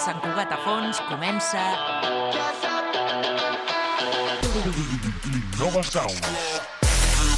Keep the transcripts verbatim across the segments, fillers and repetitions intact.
Sant Cugat a fons comença... Nova Sound.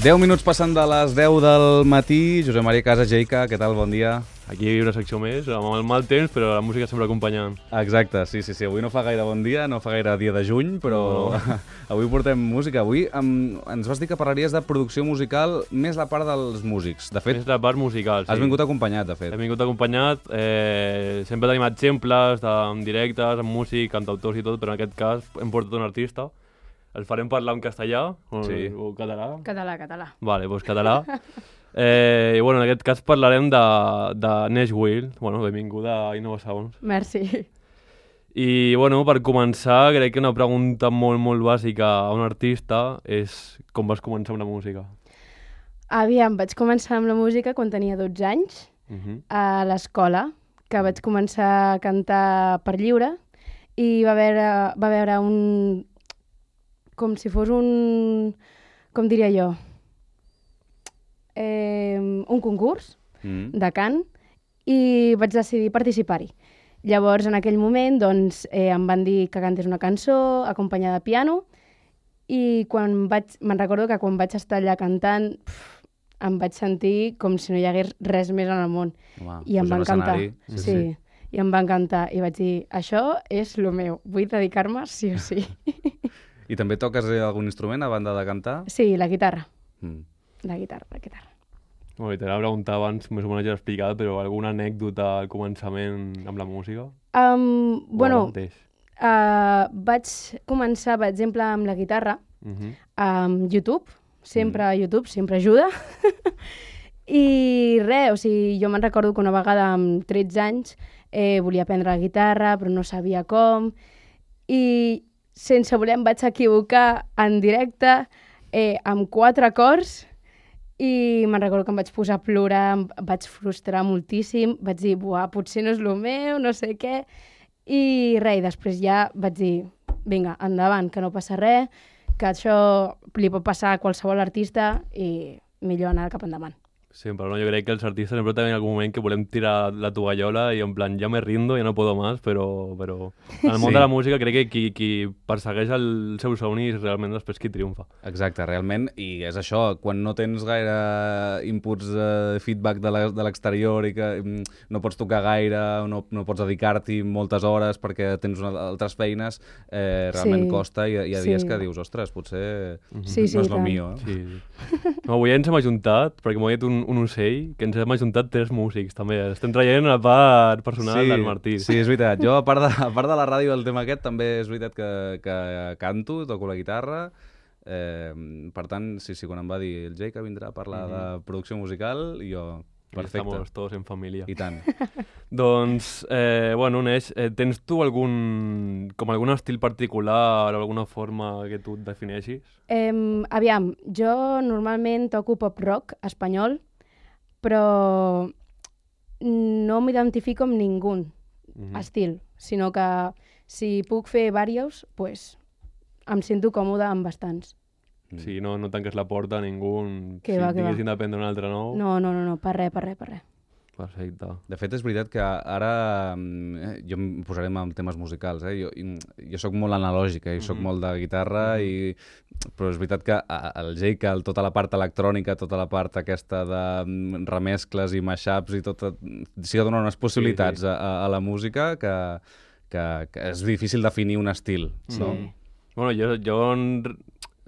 deu minuts passant de les deu del matí. Josep Maria Casas, Jeica, què tal? Bon dia. Aquí hi ha una secció més, amb el mal temps, però la música sempre acompanyant. Exacte, sí, sí, sí. Avui no fa gaire bon dia, no fa gaire dia de juny, però no. Avui portem música. Avui um, ens vas dir que parlaries de producció musical més la part dels músics. De fet, més la part musical, sí. Has vingut acompanyat, de fet. He vingut acompanyat. Eh, sempre tenim exemples de, en directes, amb músic, cantautors i tot, però en aquest cas hem portat un artista. El farem parlar en castellà o, sí. o català? Català, català. Vale, doncs català. Eh, I bueno, en aquest cas parlarem de, de Nesh Will. Bueno, benvinguda a Innova Sounds. Merci. I bueno, per començar, crec que una pregunta molt, molt bàsica a un artista és com vas començar amb la música? Aviam, vaig començar amb la música quan tenia dotze anys, Uh-huh. a l'escola, que vaig començar a cantar per lliure, i va veure, va veure un... com si fos un... com diria jo? Eh, un concurs Mm. de cant, i vaig decidir participar-hi. Llavors, en aquell moment, doncs, eh, em van dir que cantés una cançó acompanyada de piano, i quan vaig, me'n recordo que quan vaig estar allà cantant, pf, em vaig sentir com si no hi hagués res més en el món. Home, I em pujar va a encantar. l'escenari, Sí, sí, sí. I em va encantar. I vaig dir, això és lo meu, vull dedicar-me sí o sí. I també toques eh, algun instrument a banda de cantar? Sí, la guitarra. Mm. La guitarra, la guitarra. Bueno, t'anava a preguntar abans, més o menys ja l'he explicat, però alguna anècdota al començament amb la música? Um, O bueno, ara mateix? uh, vaig començar, per exemple, amb la guitarra, Uh-huh. amb YouTube. Sempre mm. YouTube, sempre ajuda. I res, o sigui, jo me'n recordo que una vegada amb tretze anys eh, volia aprendre la guitarra, però no sabia com. I sense voler em vaig equivocar en directe eh, amb quatre acords, i me'n recordo que em vaig posar a plorar, em vaig frustrar moltíssim, vaig dir, buah, potser no és el meu, no sé què, i res, i després ja vaig dir, vinga, endavant, que no passa res, que això li pot passar a qualsevol artista i millor anar cap endavant. Sempre, no? Jo crec que els artistes sempre tenen en algun moment que volem tirar la tovallola i en plan, ja me rindo, ja no puedo más, però, però en el món Sí. de la música crec que qui, qui persegueix el seu somni és realment després qui triomfa. Exacte, realment, i és això, quan no tens gaire inputs de feedback de la- de l'exterior i que mm, no pots tocar gaire, no, no pots dedicar-t'hi moltes hores perquè tens una, altres feines, eh, realment Sí. costa, i hi ha dies Sí. que dius, ostres, potser Sí, sí, no és el tant. millor. Eh? Sí, sí. No, avui ens hem ajuntat, perquè m'ho ha dit un, un ocell, que ens hem ajuntat tres músics, també. Estem traient la part personal Sí, del Martí. sí, és veritat. Jo, a part de, a part de la ràdio del tema aquest, també és veritat que, que canto, toco la guitarra. Eh, per tant, sí, sí, quan em va dir el Jay que vindrà a parlar Mhm. de producció musical, i jo, Aquí perfecte. Estamos todos en família. I tant. Doncs, eh, bueno, Neix, eh, tens tu algun, com algun estil particular o alguna forma que tu et defineixis? Eh, aviam, jo normalment toco pop-rock espanyol, però no m'identifico amb ningú Mhm. estil, sinó que si puc fer diversos, pues, em sento còmode amb bastants. Sí, no, no tanques la porta a ningú. Que si va, que va. tinguessin d'aprendre un altre nou. No, no, no, no, per res, per res, per res. Perfecte. De fet, és veritat que ara mm, eh, jo em posaré amb temes musicals. Eh? Jo, i- jo sóc molt analògic, eh? I sóc Mhm. molt de guitarra, i... però és veritat que a- el Jay, que el- tota la part electrònica, tota la part aquesta de mm, remescles i mashups i tot, sí que dona unes possibilitats Sí, sí. A, a la música que, que, que és difícil definir un estil. Sí. No? Bueno, jo, jo en-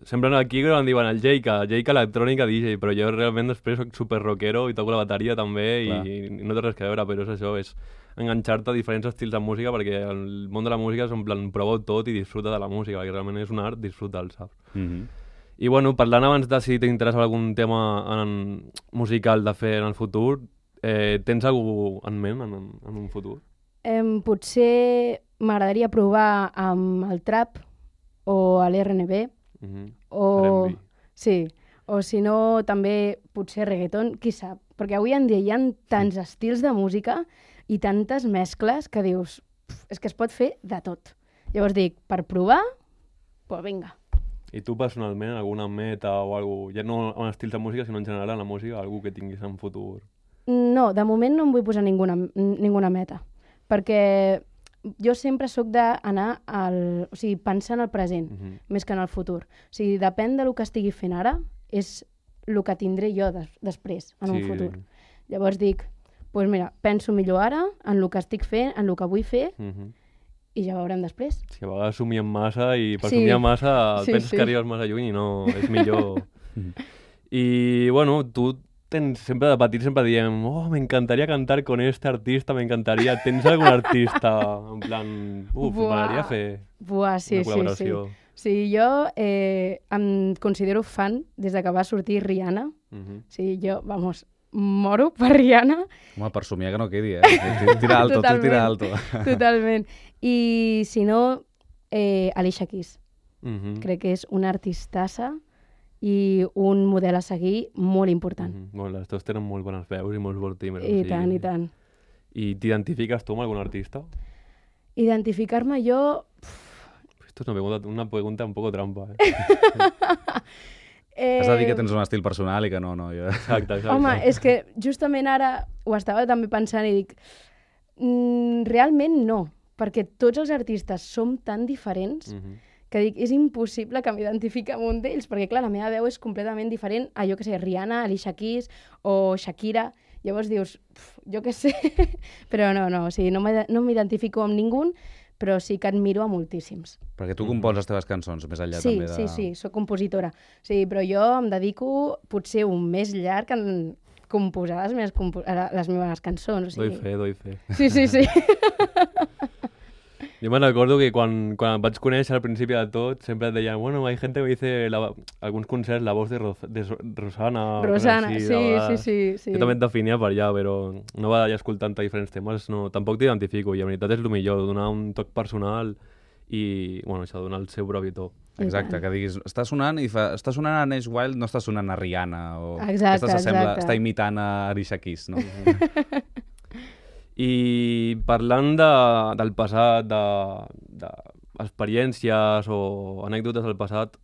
sempre aquí em diuen el Jayca, Jayca electrònica D J, però jo realment després soc super rockero i toco la bateria també Clar. i, i no té res a veure, però és això, és enganxar-te a diferents estils de música, perquè el món de la música és en plan, prova tot i disfruta de la música, perquè realment és un art, disfruta'l, saps? Mhm. I bueno, parlant abans de si t'interessa algun tema en, musical de fer en el futur, eh, tens algú en ment en, en un futur? Em, potser m'agradaria provar amb el trap o l'R and B, Mhm. o... R and B. Sí, o si no, també potser reggaeton, qui sap? Perquè avui en dia hi ha tants estils de música i tantes mescles que dius, pf, és que es pot fer de tot. Llavors dic, per provar, pues vinga. I tu personalment, alguna meta o alguna ja no en estils de música, sinó en general en la música, algú que tinguis en futur? No, de moment no em vull posar ninguna, ninguna meta, perquè jo sempre sóc d'anar al... O sigui, pensar en el present, uh -huh. més que en el futur. O sigui, depèn del que estigui fent ara, és el que tindré jo des, després, en sí. un futur. Llavors dic, doncs mira, penso millor ara en el que estic fent, en el que vull fer, uh -huh. i ja veurem després. Sí, a vegades somiem massa i per sí. somiar massa sí, penses sí. que arribes massa lluny i no, és millor. I, bueno, tu tens, sempre de petit sempre diem oh, m'encantaria cantar con este artista, m'encantaria... Tens algun artista en plan... Uf, m'agradaria fer Buah, sí, una col·laboració. Sí, sí. sí, jo eh, em considero fan des de que va sortir Rihanna. Uh -huh. Sí, jo, vamos, moro per Rihanna. Home, per somiar que no quedi, eh? Tira alto, tu tira alto. Totalment. I si no, eh, Alicia Keys. Uh -huh. Crec que és una artistassa i un model a seguir molt important. Uh -huh. Bueno, les teus tenen molt bones veus i molts bons timbres. I o sigui... tant, i tant. I t'identifiques tu amb algun artista? Identificar-me jo... Esto es una pregunta, una pregunta un poco trampa, eh? eh... Has de dir que tens un estil personal i que no, no. Jo... Exacte, exacte. Home, és que justament ara ho estava també pensant i dic... Mm, realment no, perquè tots els artistes som tan diferents uh -huh. que dic, és impossible que m'identifiqui amb un d'ells, perquè clar, la meva veu és completament diferent a, jo que sé, Rihanna, Alicia Keys o Shakira. Llavors dius, pf, jo què sé, però no, no, o sigui, no m'identifico amb ningú, però sí que admiro a moltíssims. Perquè tu compons les teves cançons, més enllà sí, també de... Sí, sí, sí, soc compositora. Sí, però jo em dedico potser un mes llarg en composar les meves, compo les meves cançons. O sigui... Doy fe, doy fe. Sí, sí, sí. Jo me'n recordo que quan, quan em vaig conèixer al principi de tot, sempre et deien, bueno, hay gente que dice la, alguns concerts la voz de, Ro de Rosana. Rosana, així, sí, sí, sí, sí. Jo també et definia per allà, però no va d'allà escoltant diferents temes, no, tampoc t'identifico, i en veritat és el millor, donar un toc personal i, bueno, això, donar el seu propi to. Exacte, que diguis, està sonant i fa, està sonant a Nash Wild, no està sonant a Rihanna, o exacte, aquesta exacte. està imitant a Alicia Keys, no? I parlant de, del passat, d'experiències de, o anècdotes del passat,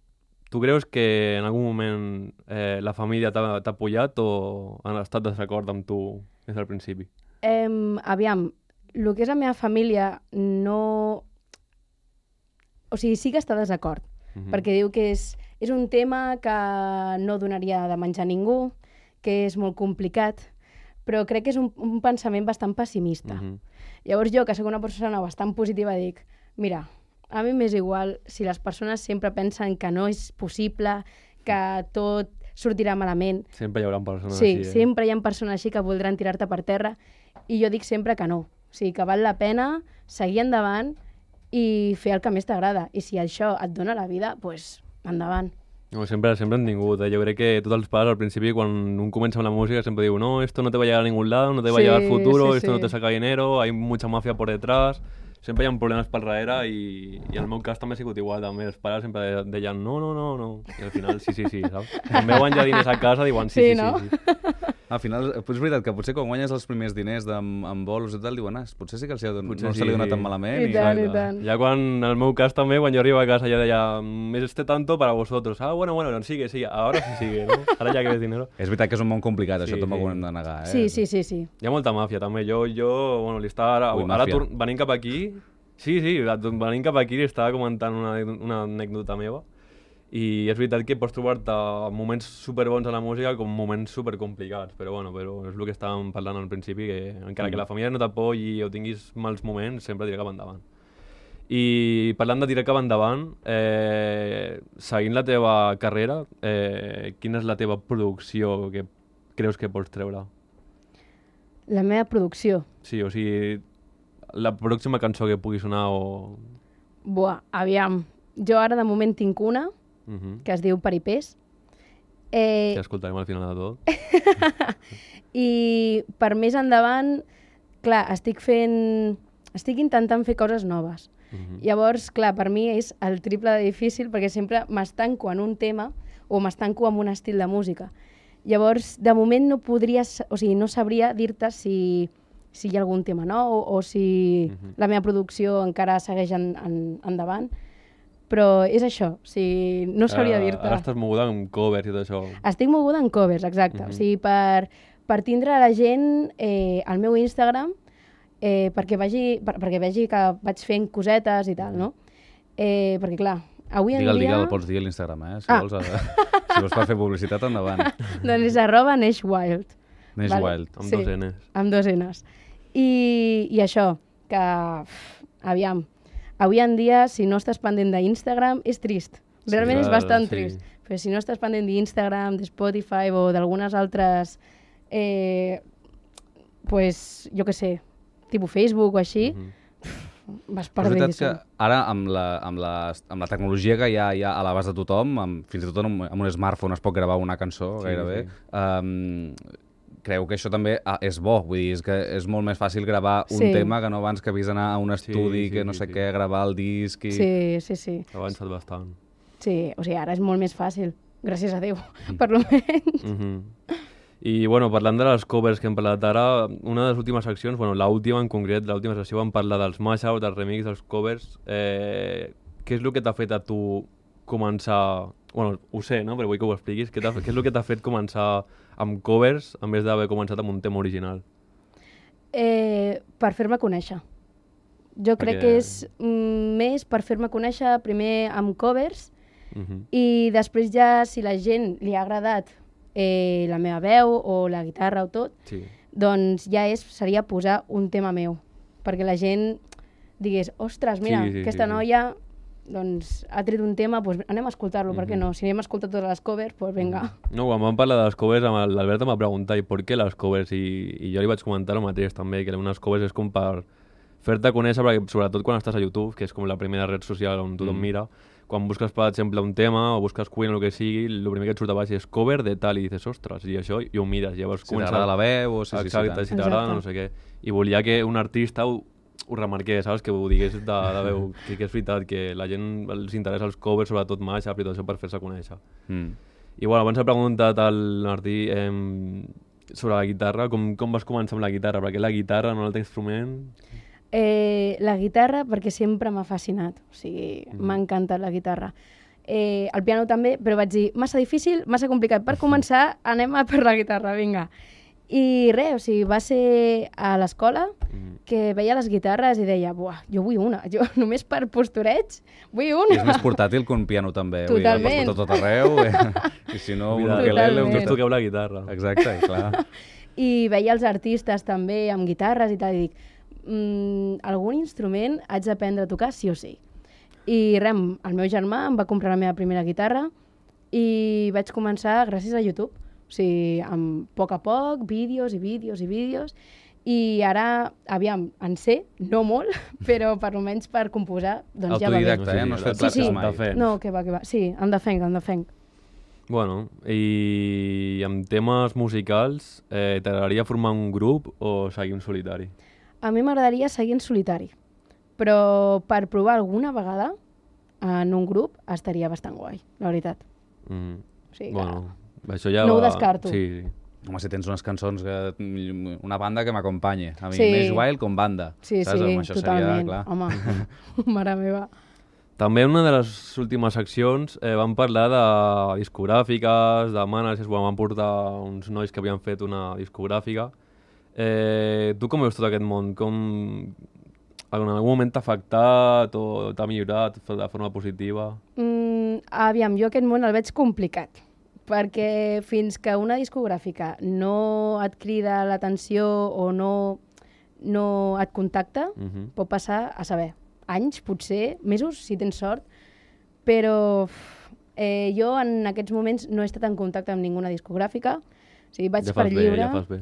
tu creus que en algun moment eh, la família t'ha apoyat o han estat desacord amb tu des del principi? Eh, aviam, el que és la meva família no... O sigui, sí que està desacord, uh-huh. perquè diu que és, és un tema que no donaria de menjar a ningú, que és molt complicat, però crec que és un, un pensament bastant pessimista. Uh-huh. Llavors jo, que soc una persona bastant positiva, dic, mira, a mi m'és igual si les persones sempre pensen que no és possible, que tot sortirà malament. Sempre hi haurà persones sí, així, eh? Sí, sempre hi ha persones així que voldran tirar-te per terra, i jo dic sempre que no. O sigui, que val la pena seguir endavant i fer el que més t'agrada. I si això et dona la vida, doncs pues, endavant. No, sempre, sempre han tingut, eh? Jo crec que tots els pares al principi, quan un comença amb la música, sempre diu no, esto no te va a llegar a ningún lado, no te va sí, a llegar al futuro, sí, esto sí. no te saca dinero, hay mucha mafia por detrás... Sempre hi ha problemes per darrere i, i en el meu cas també ha sigut igual, també els pares sempre deien no, no, no, no, i al final sí, sí, sí, saps? Quan veuen ja diners a casa diuen sí, sí, sí, no? sí, sí. Al final, és veritat que potser quan guanyes els primers diners amb, amb bolos i tal, diuen, ah, potser sí que els no sí, se li dona tan malament. I, i tant, i tant. Ja quan, en el meu cas també, quan jo arribo a casa ja deia, més este tanto para vosotros. Ah, bueno, bueno, no, sigue, sigue, ahora sí sigue, no? Ara ja que ves dinero. És veritat que és un món complicat, sí, això també sí. ho hem de negar, eh? Sí, sí, sí, sí. Hi ha molta màfia també. Jo, jo bueno, li estava ara, Ui, ara venint cap aquí... Sí, sí, venint cap aquí li estava comentant una, una anècdota meva i és veritat que pots trobar-te moments superbons a la música com moments supercomplicats, però bueno, però és el que estàvem parlant al principi, que encara mm. que la família no t'apoyi o tinguis mals moments, sempre diré cap endavant. I parlant de tirar cap endavant, eh, seguint la teva carrera, eh, quina és la teva producció que creus que pots treure? La meva producció? Sí, o sigui... la pròxima cançó que pugui sonar o... Buah, aviam. Jo ara de moment tinc una, uh -huh. que es diu Peripés. Eh... Que escoltarem al final de tot. I per més endavant, clar, estic fent... Estic intentant fer coses noves. Uh -huh. Llavors, clar, per mi és el triple de difícil perquè sempre m'estanco en un tema o m'estanco en un estil de música. Llavors, de moment no podria... O sigui, no sabria dir-te si... si hi ha algun tema nou o si uh-huh. la meva producció encara segueix en, en, endavant, però és això, o sigui, no sabria Ara- dir-te. Ara estàs moguda amb covers i tot això. Estic moguda en covers, exacte. Mhm. O sigui, per, per tindre la gent eh, al meu Instagram, eh, perquè, vagi, per, perquè vegi que vaig fent cosetes i tal, no? Eh, perquè, clar, avui en Digue'l, dia... digue'l, pots dir a l'Instagram, eh? Si, Ah. vols, eh? si vols per fer publicitat, endavant. Doncs és arroba neixwild. Neix Vale. Wild. Amb Sí. dos N's. Amb dos N's. I, i això, que, uf, aviam, avui en dia, si no estàs pendent d'Instagram, és trist. Realment Sí, és clar, bastant sí. trist. Però si no estàs pendent d'Instagram, de Spotify o d'algunes altres, eh, pues, jo què sé, tipus Facebook o així, Mhm. vas Però és veritat perdent-hi. que ara, amb la, amb, la, amb la tecnologia que hi ha, hi ha a l'abast de tothom, amb, fins i tot amb, amb un smartphone es pot gravar una cançó, Sí, gairebé, sí. um, creu que això també ah, és bo, vull dir, és que és molt més fàcil gravar un Sí. tema que no abans que havies d'anar a un estudi, sí, que no sí, sé sí. què, gravar el disc i... Sí, sí, sí. Ha avançat bastant. Sí, o sigui, ara és molt més fàcil, gràcies a Déu, per lo menys. Mhm. I, bueno, parlant de les covers que hem parlat ara, una de les últimes seccions, bueno, l'última en concret, l'última sessió, vam parlar dels mashups, dels remix, dels covers. Eh, què és el que t'ha fet a tu començar... Bueno, ho sé, no? Però vull que ho expliquis. Què, t'ha- què és el que t'ha fet començar amb covers en vez d'haver començat amb un tema original? Eh, per fer-me conèixer. Jo crec Perquè- que és mm, més per fer-me conèixer primer amb covers Mhm. i després ja, si la gent li ha agradat eh, la meva veu o la guitarra o tot, Sí. doncs ja és, seria posar un tema meu. Perquè la gent digués, ostres, mira, Sí, sí, aquesta sí, sí. noia doncs, ha tret un tema, doncs anem a escoltar-lo, per què Mhm. no? Si anem a escoltar totes les covers, doncs vinga. No, quan vam parlar de les covers, amb l'Albert em va preguntar i per què les covers, i, i jo li vaig comentar el mateix també, que unes covers és com per fer-te conèixer, perquè sobretot quan estàs a YouTube, que és com la primera red social on tothom Mm. mira, quan busques, per exemple, un tema o busques Queen o el que sigui, el primer que et surt a baix és cover de tal, i dices, ostres, i això, i ho mires, llavors Si t'agrada la veu o si... sí, sí, Exacte, tant. si t'agrada, Exacte. no sé què. I volia que un artista ho, ho remarqués, saps? Que ho digués de, de veu, que, que és veritat, que la gent els interessa els covers, sobretot mashup i tot això per fer-se conèixer. Mm. I bueno, abans he preguntat al Martí eh, sobre la guitarra, com, com vas començar amb la guitarra? Per què la guitarra, no l'altre instrument? Eh, la guitarra perquè sempre m'ha fascinat, o sigui, Mhm. m'ha encantat la guitarra. Eh, el piano també, però vaig dir, massa difícil, massa complicat. Per començar, anem a per la guitarra, vinga. I res, o sigui, va ser a l'escola Mm. que veia les guitarres i deia, buah, jo vull una, jo només per postureig vull I una. és més portàtil que un piano també, vull dir, el Totalment. pots portar tot arreu, eh? I si no, un Mira, ukelele... Un... Totalment. Tots toqueu la guitarra. Exacte, i clar. I veia els artistes també amb guitarres i tal, i dic, mm, algun instrument haig d'aprendre a tocar sí o sí. I res, el meu germà em va comprar la meva primera guitarra i vaig començar gràcies a YouTube. O sigui, amb a poc a poc, vídeos i vídeos i vídeos. I ara, aviam, en sé, no molt, però per almenys per composar, doncs ja va bé. Autodidacta, eh? No has fet Sí, classes sí. mai. De fet. No, que va, que va. Sí, em defenc, em defenc. Bueno, i amb temes musicals, eh, t'agradaria formar un grup o seguir un solitari? A mi m'agradaria seguir en solitari, però per provar alguna vegada en un grup estaria bastant guai, la veritat. Mm. O sigui que... Bueno, això ja No ho va... descarto. Sí, sí. Home, si tens unes cançons, que, una banda que m'acompanyi. A mi, Sí. Neix Wild com banda. Sí, saps? sí, Amb això totalment. Seria, clar. Home, mare meva. També en una de les últimes seccions eh, vam parlar de discogràfiques, de managers, bueno, vam portar uns nois que havien fet una discogràfica. Eh, tu com veus tot aquest món? Com... En algun moment t'ha afectat o t'ha millorat de forma positiva? Mm, aviam, jo aquest món el veig complicat, perquè fins que una discogràfica no et crida l'atenció o no, no et contacta, Uh -huh. pot passar, a saber, anys, potser, mesos, si tens sort, però uf, eh, jo en aquests moments no he estat en contacte amb ninguna discogràfica, o sigui, vaig ja per fas bé, lliure. ja fas bé.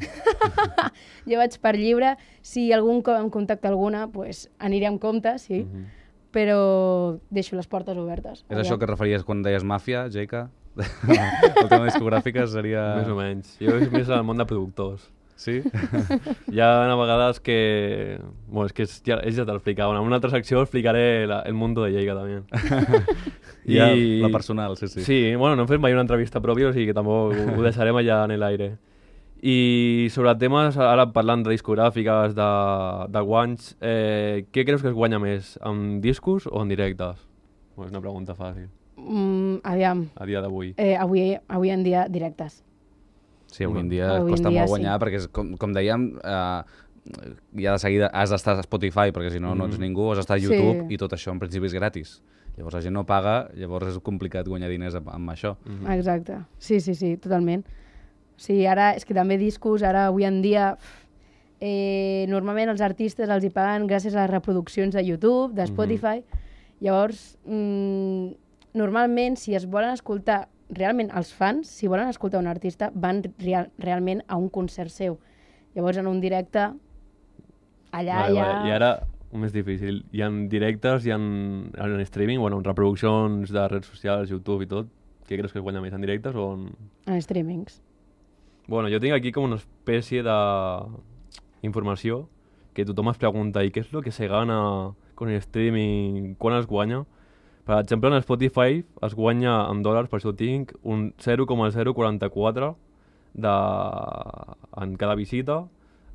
Jo vaig per lliure. Si algun cop em contacta alguna, pues, aniré amb compte, sí, Uh -huh. però deixo les portes obertes. És això que et referies quan deies màfia, Jaica? El tema discogràfica seria... Més o menys. Jo és més al món de productors. Sí? Hi ha a vegades que... Bueno, és que és, ja, és ja te l'explicava. En una altra secció explicaré la, el mundo de Lleida, també. Ja, la personal, sí, sí. Sí, bueno, no hem fet mai una entrevista pròpia, o sigui que tampoc ho, ho deixarem allà en l'aire. I sobre temes, ara parlant de discogràfiques, de, de guanys, eh, què creus que es guanya més, amb discos o en directes? O és una pregunta fàcil. Mm, aviam, A dia d'avui. eh, avui, avui en dia directes. Sí, avui en dia Avui en costa dia, molt guanyar, sí. perquè, és, com, com dèiem, eh, ja de seguida has d'estar a Spotify, perquè si no, no ets ningú, has d'estar a YouTube, Sí. i tot això en principi és gratis. Llavors la gent no paga, llavors és complicat guanyar diners amb, amb això. Mm. Exacte. Sí, sí, sí, totalment. Sí, ara, és que també discos, ara avui en dia, eh, normalment els artistes els hi paguen gràcies a les reproduccions de YouTube, de Spotify. Mm-hmm. Llavors, mm, normalment, si es volen escoltar, realment els fans, si volen escoltar un artista, van real, realment a un concert seu. Llavors, en un directe, allà Vale, ja... vale. I ara, un més difícil. Hi ha directes, hi ha en streaming, bueno, en reproduccions de redes socials, YouTube i tot. Què creus que es guanya més, en directes o en...? En streamings. Bueno, jo tinc aquí com una espècie de informació que tothom es pregunta, i què és el que se gana con el streaming, quan es guanya? Per exemple, en Spotify es guanya en dòlars, per això ho tinc, un zero coma zero quaranta-quatre de... en cada visita,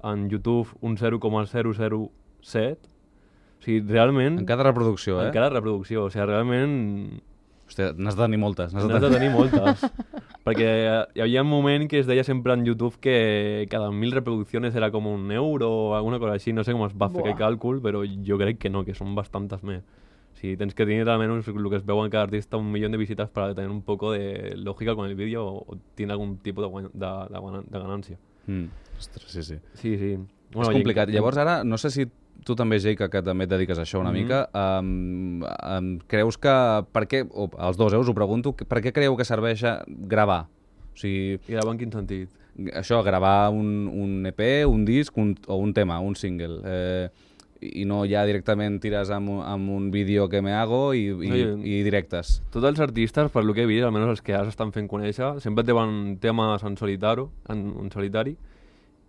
en YouTube un zero coma zero zero set. O sigui, realment... En cada reproducció, eh? En cada reproducció, o sigui, realment... Hòstia, n'has de tenir moltes. N'has N'has de tenir moltes. Perquè hi havia un moment que es deia sempre en YouTube que cada mil reproduccions era com un euro o alguna cosa així. No sé com es va fer Buah. aquell càlcul, però jo crec que no, que són bastantes més. O sigui, tens que tenir almenys el que es veu en cada artista un milió de visites para tener un poco de lògica con el vídeo o, o tiene algún tipus de, guany- de, de, guana- de ganància. Mm. Ostres, sí, sí. Sí, sí. Bueno, és complicat. I... Llavors ara, no sé si tu també, Jake, que també et dediques a això una Mhm. mica, um, um, creus que... Per què, o els dos, eh, us ho pregunto, que- per què creieu que serveix a gravar? O sigui, I gravar en quin sentit? això, gravar un, un E P, un disc un, o un tema, un single, eh, i no ja directament tires amb, un- amb un vídeo que me hago i, i, Oye. i directes. Tots els artistes, per lo que he vist, almenys els que ara s'estan fent conèixer, sempre tenen temes en solitari, en, en solitari,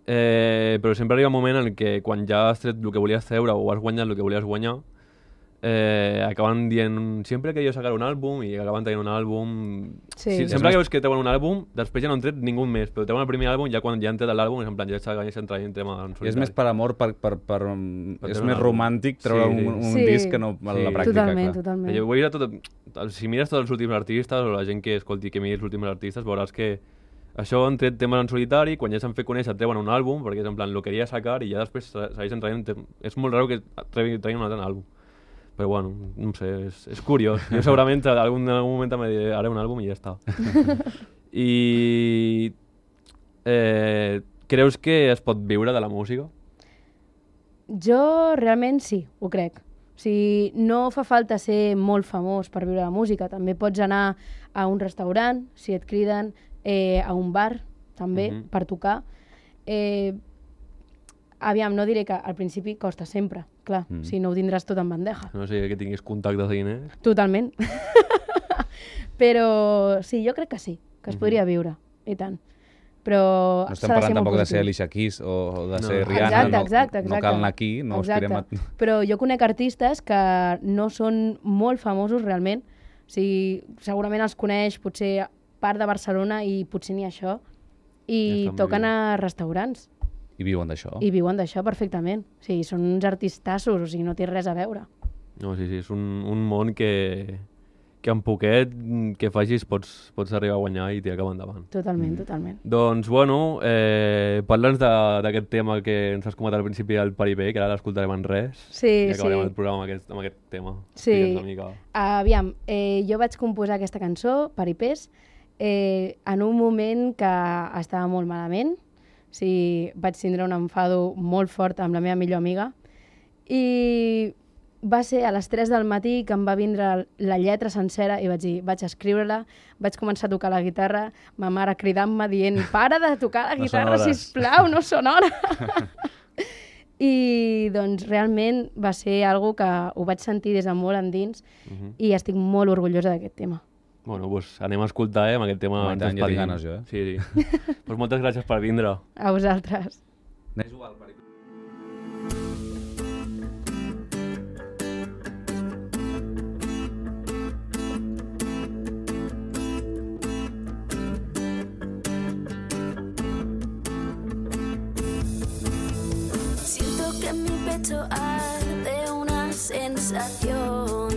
eh, però sempre arriba un moment en què quan ja has tret el que volies treure o has guanyat el que volies guanyar, eh, acaben dient sempre que jo sacar un àlbum i acaben traient un àlbum... Sí. Sí, És sempre més- que veus que treuen un àlbum, després ja no han tret ningú més, però treuen el primer àlbum ja quan ja han tret l'àlbum és en plan ja segueixen traient temes en I solitari. és més per amor, per, per, per, Per és treure un més àlbum. romàntic treure Sí, sí. un, un Sí. disc que no a la Sí. pràctica. Totalment, clar. totalment. Jo ho he vist a tot, si mires tots els últims artistes o la gent que escolti que miri els últims artistes veuràs que això han tret temes en solitari, quan ja s'han fet conèixer treuen un àlbum perquè és en plan, lo queria sacar i ja després se- segueixen traient tem- és molt raro que treguin treguin un altre àlbum, però bueno, no sé, és, és curiós. Jo segurament en algun, en algun moment també diré, haré un àlbum i ja està. I eh, creus que es pot viure de la música? Jo realment sí, ho crec. O sigui, no fa falta ser molt famós per viure la música. També pots anar a un restaurant, si et criden, eh, a un bar, també, Mhm. per tocar. Eh, aviam, no diré que al principi costa sempre, clar, Mm. si no ho tindràs tot en bandeja. No sé que tinguis contactes de diners. Totalment. Però sí, jo crec que sí, que es Mhm. podria viure, i tant. Però No estem s'ha de parlant ser molt tampoc de ser positiu. Alicia Keys o de No. ser Rihanna. Exacte, no, exacte, no exacte. cal anar aquí, no Exacte. aspirem a... Però jo conec artistes que no són molt famosos realment. O sigui, segurament els coneix potser part de Barcelona i potser ni això. I Ja estan toquen vivint. a restaurants I viuen d'això. i viuen d'això perfectament. O sigui, són uns artistassos, o sigui, no té res a veure. No, sí, sí, és un, un món que, que amb poquet que facis pots, pots arribar a guanyar i tirar cap endavant. Totalment, Mm. totalment. Doncs, bueno, eh, parla'ns de- d'aquest tema que ens has comentat al principi del Paripé, que ara l'escoltarem en res. Sí, I acabarem sí. el programa amb aquest, amb aquest tema. Sí. Digue'ns una mica. Aviam, eh, jo vaig composar aquesta cançó, Paripés, eh, en un moment que estava molt malament. O sigui, vaig tindre un enfado molt fort amb la meva millor amiga. I va ser a les tres del matí que em va vindre la lletra sencera i vaig dir, vaig escriure-la, vaig començar a tocar la guitarra, ma mare cridant-me dient, para de tocar la No guitarra, són hores." sisplau, no són hores. I doncs realment va ser algo que ho vaig sentir des de molt endins Mhm. i estic molt orgullosa d'aquest tema. Bueno, doncs anem a escoltar, eh, amb aquest tema. Home, i ens tant, ja tinc despedim. ganes, jo, eh? Sí, sí. Doncs moltes gràcies per vindre. A vosaltres. Anem a jugar al Paripé. Siento que en mi pecho arde una sensación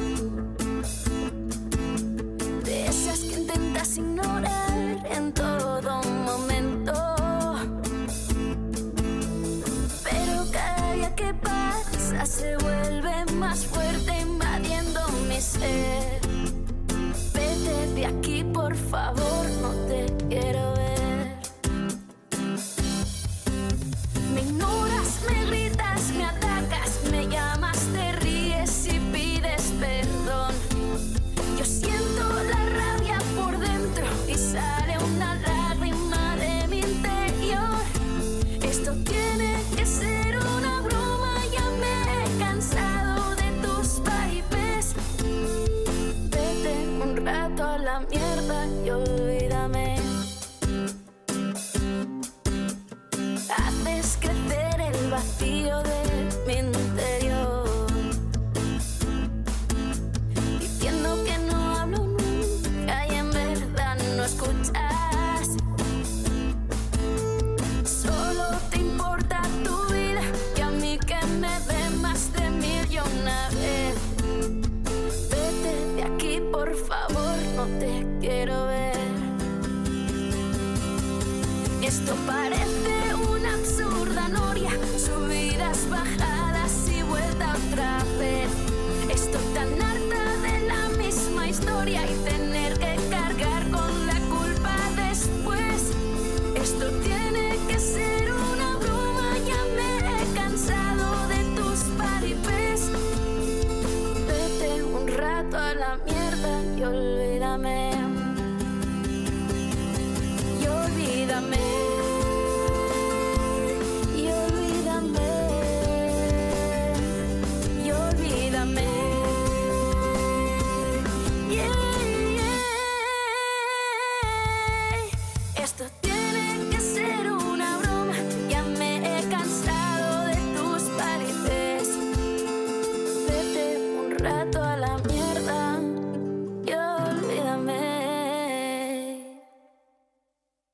Esto parece una absurda noria, subidas, bajadas y vuelta otra vez. Estoy tan harta de la misma historia y tener que cargar con la culpa después. Esto tiene que ser una broma, ya me he cansado de tus paripés. Vete un rato a la mierda y olvídame.